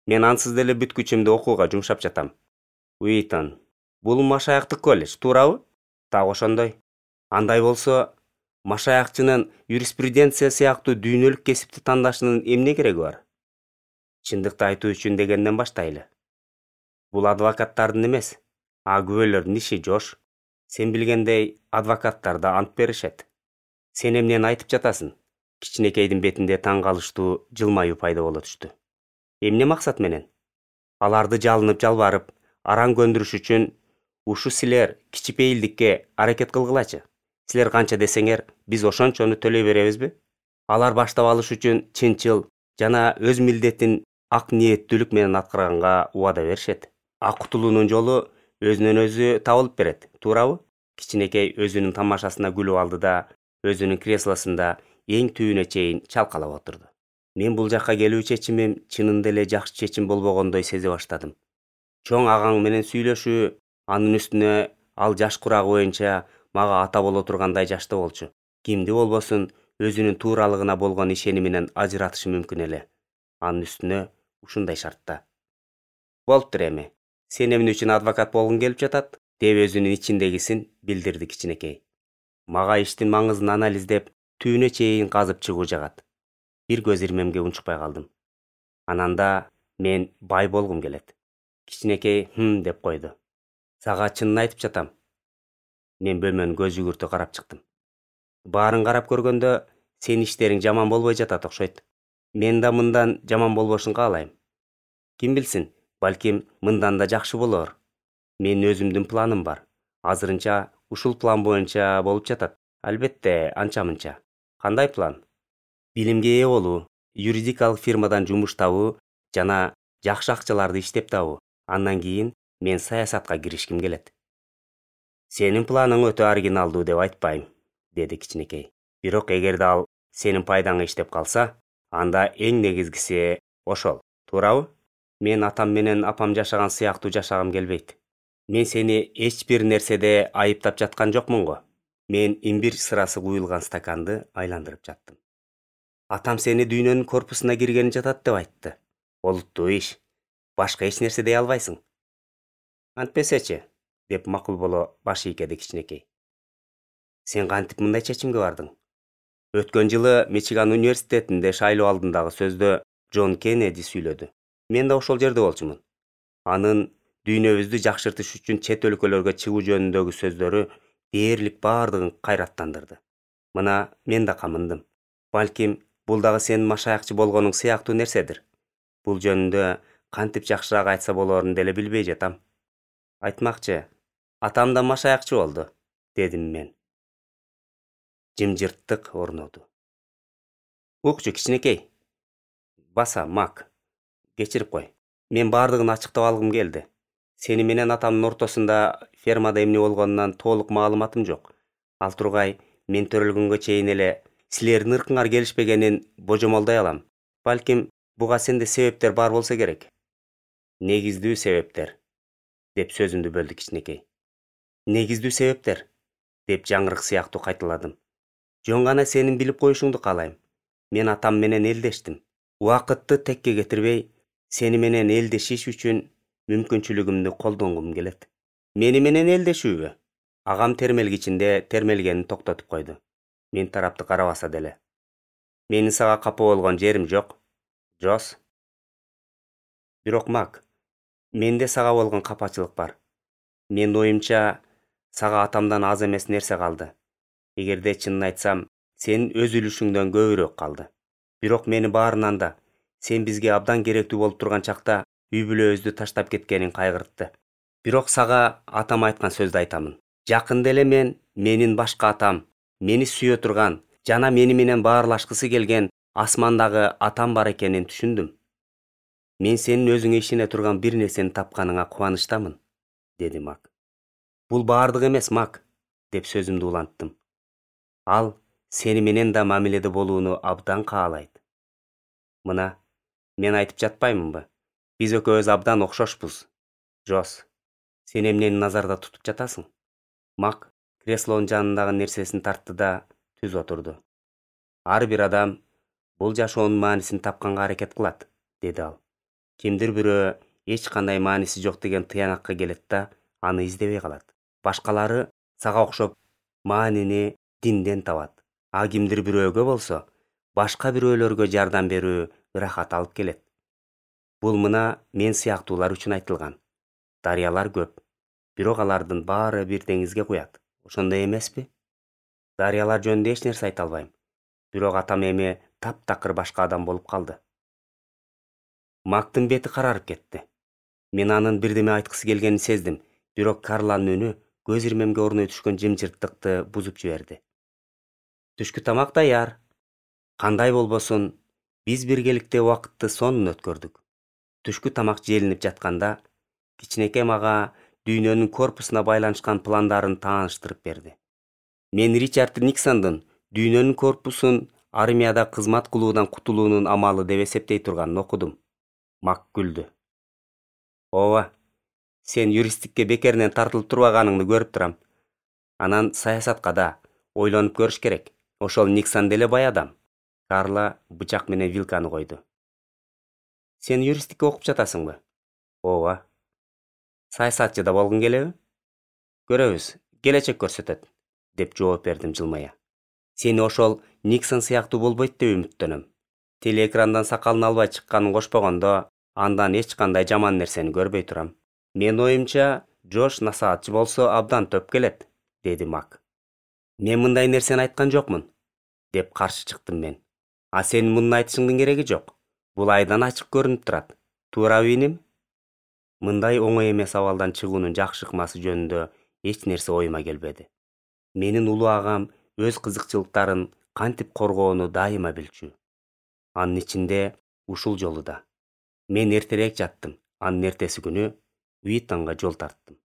Speaker 1: Мен ансыз деле бүт күчүмдү окууга жумшап жатам. Уитон, бул машаяктык колледж, туурабы? Так ошондой. Андай болсо, машаякчынын юриспруденция сыяктуу дүйнөлүк кесипти тандашынын эмне кереги бар? Чындыкты айтуу үчүн дегенден баштайлы. Бул адвокаттардын эмес, а күбөлөрдүн иши, Жош. Сен билгендей, адвокаттар да ант беришет. Сен эмнени айтып жатасың? Кичинекейдин бетинде таң калыштуу жылмаюу пайда боло түштү. Эмне максат менен? Аларды жалынып жалбарып, араң көндүрүш үчүн ушу силер кичипейилдикке аракет кылгылачы. Силер канча десеңер, биз ошончону төлөй беребизби? Алар баштап алыш үчүн чынчыл жана өз милдетин ак ниеттүүлүк менен аткарганга убада беришет. А кутулуунун жолу өзүнөн өзү табылып берет, туурабы? Кичинекей өзүнүн тамашасына күлүп алды да өзүнүн креслосунда эң түбүнө чейин чалкалап отурду. Мен бул жакка келүү чечимим чынында эле жакшы чечим болбогондой сезе баштадым. Чоң агаң менен сүйлөшүү, анын үстүнө ал жаш курагы боюнча мага ата боло тургандай жашта болчу. Кимди болбосун өзүнүн тууралыгына болгон ишениминен ажыратышы мүмкүн эле. Анын үстүнө ушундай шартта. Болуптур эми. Сен эмне үчүн адвокат болгуң келип жатат? Деп өзүнүн ичиндегисин билдирди кичинекей. Мага иштин маңызын анализдеп, түбүнө чейин казып чыгуу жагат. Бир көз ирмемге унчукпай калдым. Ананда мен бай болгум келет. Кичинекей хм деп койду. Сага чынын айтып жатам. Мен бөлмөнүн көз жүгүртү карап чыктым. Баарын карап көргөндө сен иштериң жаман болбой жатат окшойт. Мен да мындан жаман болбошун каалайм. Ким билсин, балким мындан да жакшы болор. Менин өзүмдүн планым бар. Азырынча ушул план боюнча болуп жатат. Албетте, анча-мынча. Кандай план? Билимге ээ болуу, юридикалык фирмадан жумуш табуу жана жакшы акчаларды иштеп табуу. Андан кийин мен саясатка киришким келет. Сенин планың өтө оригиналдуу деп айтпайм, деди кичинекей. Бирок эгерде ал сенин пайдаңа иштеп калса, анда эң негизгиси ошол, туурабы? Мен атам менен апам жашаган сыяктуу жашагым келбейт. Мен сени эч бир нерседе айыптап жаткан жокмун го. Мен имбирь сырасы куюлган стаканды айландырып жаттым. Атам сени дүйнөнүн корпусуна киргени жатат деп айтты. Олуттуу иш. Башка эч нерсе дей албайсың. Антпесечи, деп макул боло баш ийкеди кичинекей. Сен кантип мындай чечимге бардың? Өткөн жылы Мичиган университетинде шайлоо алдындагы сөздө Джон Кеннеди сүйлөдү. Мен да ошол жерде болчумун. Анын дүйнөбүздү жакшыртыш үчүн чет өлкөлөргө чыгуу жөнүндөгү сөздөрү дээрлик баардыгын кайраттандырды. Мына мен да камындым. Балким бул дагы сенин машаякчы болгонуң сыяктуу нерседир. Бул жөнүндө кантип жакшыраак айтса болоорун деле билбей жатам. Айтмакчы, атам да машаякчы болду, дедим мен. Жымжырттык орноду. Укчу кичинекей. Баса, Мак. Кечирип кой. Мен баардыгын ачыктап алгым келди. Сени менен атамдын ортосунда фермада эмне болгонунан толук маалыматым жок. Ал тургай, мен төрөлгөнгө чейин эле силердин ыркыңар келишпегенин божомолдой алам. Балким буга сенде себептер бар болсо керек. Негиздүү себептер, деп сөзүмдү бөлдү кичинекей. Негиздүү себептер, деп жаңырык сыяктуу кайталадым. Жөн гана сенин билип коюшуңду каалайм. Мен атам менен элдештим. Убакытты текке кетирбей, сени менен элдешиш үчүн мүмкүнчүлүгүмдү колдонгум келет. Мени менен элдешүүбү? Агам термелгичинде термелгенин токтотуп койду. Мен тарапты карабаса деле. Менин сага капа болгон жерим жок. Жос. Бирок Мак, менде сага болгон капачылык бар. Менин оюмча, сага атамдан аз эмес нерсе калды. Эгерде чынын айтсам, сенин өз үлүшүңдөн көбүрөөк калды. Бирок мени баарынан да сен бизге абдан керектүү болуп турган чакта үй бүлөбүздү таштап кеткениң кайгыртты. Бирок сага атам айткан сөздү айтамын. Жакында эле мен менин башка атам, мени сүйө турган жана мени менен баарлашкысы келген асмандагы атам бар экенин түшүндүм. Мен сенин өзүңө ишене турган бир нерсени тапканыңа кубанычтамын, деди Мак. Бул баардык эмес, Мак, деп сөзүмдү уланттым. Ал сени менен да мамиледе болууну абдан каалайт. Мына, мен айтып жатпаймынбы? Биз экөөбүз абдан окшошпуз. Жос, сен эмнени назарда тутуп жатасың? Мак креслонун жанындагы нерсесин тартты да түз отурду. Ар бир адам бул жашоонун маанисин тапканга аракет кылат, деди ал. Кимдир бирөө эч кандай мааниси жок деген тыянакка келет да аны издебей калат. Башкалары сага окшоп маанини динден табат. А кимдир бирөөгө болсо башка бирөөлөргө жардам берүү ырахат алып келет. Бул мына мен сыяктуулар үчүн айтылган. Дарыялар көп, бирок алардын баары бир деңизге куят. Ошондой эмеспи? Дарыялар жөнүндө эч нерсе айта албайм. Бирок атам эми таптакыр башка адам болуп калды. Мактын бети карарып кетти. Мен анын бирдеме айткысы келгенин сездим, бирок Карланын үнү көз ирмемге орной түшкөн жымжырттыкты бузуп жиберди. Түшкү тамак даяр. Кандай болбосун, биз биргеликте убакытты сонун өткөрдүк. Түшкү тамак желинип жатканда, кичинекей мага дүйнөнүн корпусуна байланышкан пландарын тааныштырып берди. Мен Ричард Никсондун дүйнөнүн корпусун армияда кызмат кылуудан кутулуунун амалы деп эсептей турганын окудум. Мак күлдү. Ооба, сен юристтикке бекеринен тартылып турбаганыңды көрүп турам. Анан саясатка да ойлонуп көрүш керек. Ошол Никсон деле бай адам. Карла бычак менен вилканы койду. Сен юристтикке окуп жатасыңбы? Ооба. Саясатчы да болгуң келеби? Көрөбүз, келечек көрсөтөт, деп жооп бердим жылмая. Сени ошол Никсон сыяктуу болбойт деп үмүттөнөм. Телеэкрандан сакалын албай чыкканын кошпогондо, андан эч кандай жаман нерсени көрбөй турам. Мен оюмча, Джош насаатчы болсо абдан төп келет, деди Мак. Мен мындай нерсени айткан жокмун, деп каршы чыктым мен. А сенин муну айтышыңдын кереги жок. Бул айдан ачык көрүнүп турат. Туурабы иним? Мындай оңой эмес абалдан чыгуунун жакшы ыкмасы жөнүндө эч нерсе оюма келбеди. Менин улуу агам өз кызыкчылыктарын кантип коргоону дайыма билчү. Анын ичинде ушул жолу да. Мен эртерээк жаттым. Анын эртеси күнү Уитонго жол тарттым.